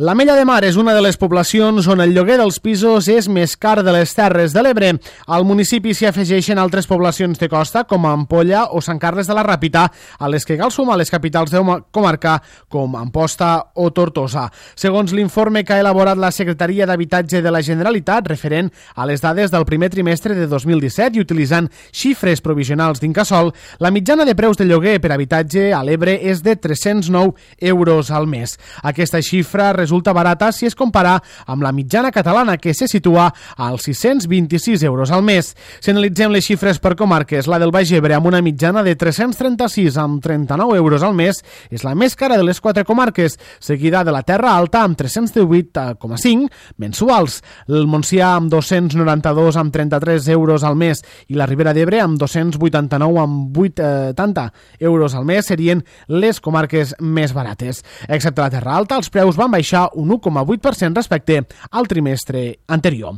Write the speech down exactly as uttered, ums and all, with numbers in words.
L'Ametlla de Mar és una de les poblacions on el lloguer dels pisos és més car de les Terres de l'Ebre. Al municipi s'hi afegeixen altres poblacions de costa, com Ampolla o Sant Carles de la Ràpita, a les que cal sumar les capitals de comarca, com Amposta o Tortosa. Segons l'informe que ha elaborat la Secretaria d'Habitatge de la Generalitat, referent a les dades del primer trimestre de dos mil disset i utilitzant xifres provisionals d'Incasòl, la mitjana de preus de lloguer per habitatge a l'Ebre és de tres-cents nou euros al mes. Aquesta xifra resulta resulta barata si es compara amb la mitjana catalana, que se situa als sis-cents vint-i-sis euros al mes. Si analitzem les xifres per comarques, la del Baix Ebre amb una mitjana de tres-cents trenta-sis amb trenta-nou euros al mes és la més cara de les quatre comarques, seguida de la Terra Alta amb tres-cents divuit coma cinc mensuals, el Montsià amb dos-cents noranta-dos amb trenta-tres euros al mes i la Ribera d'Ebre amb dos-cents vuitanta-nou amb vuitanta euros al mes serien les comarques més barates. Excepte la Terra Alta, els preus van baixar un u coma vuit per cent respecte al trimestre anterior.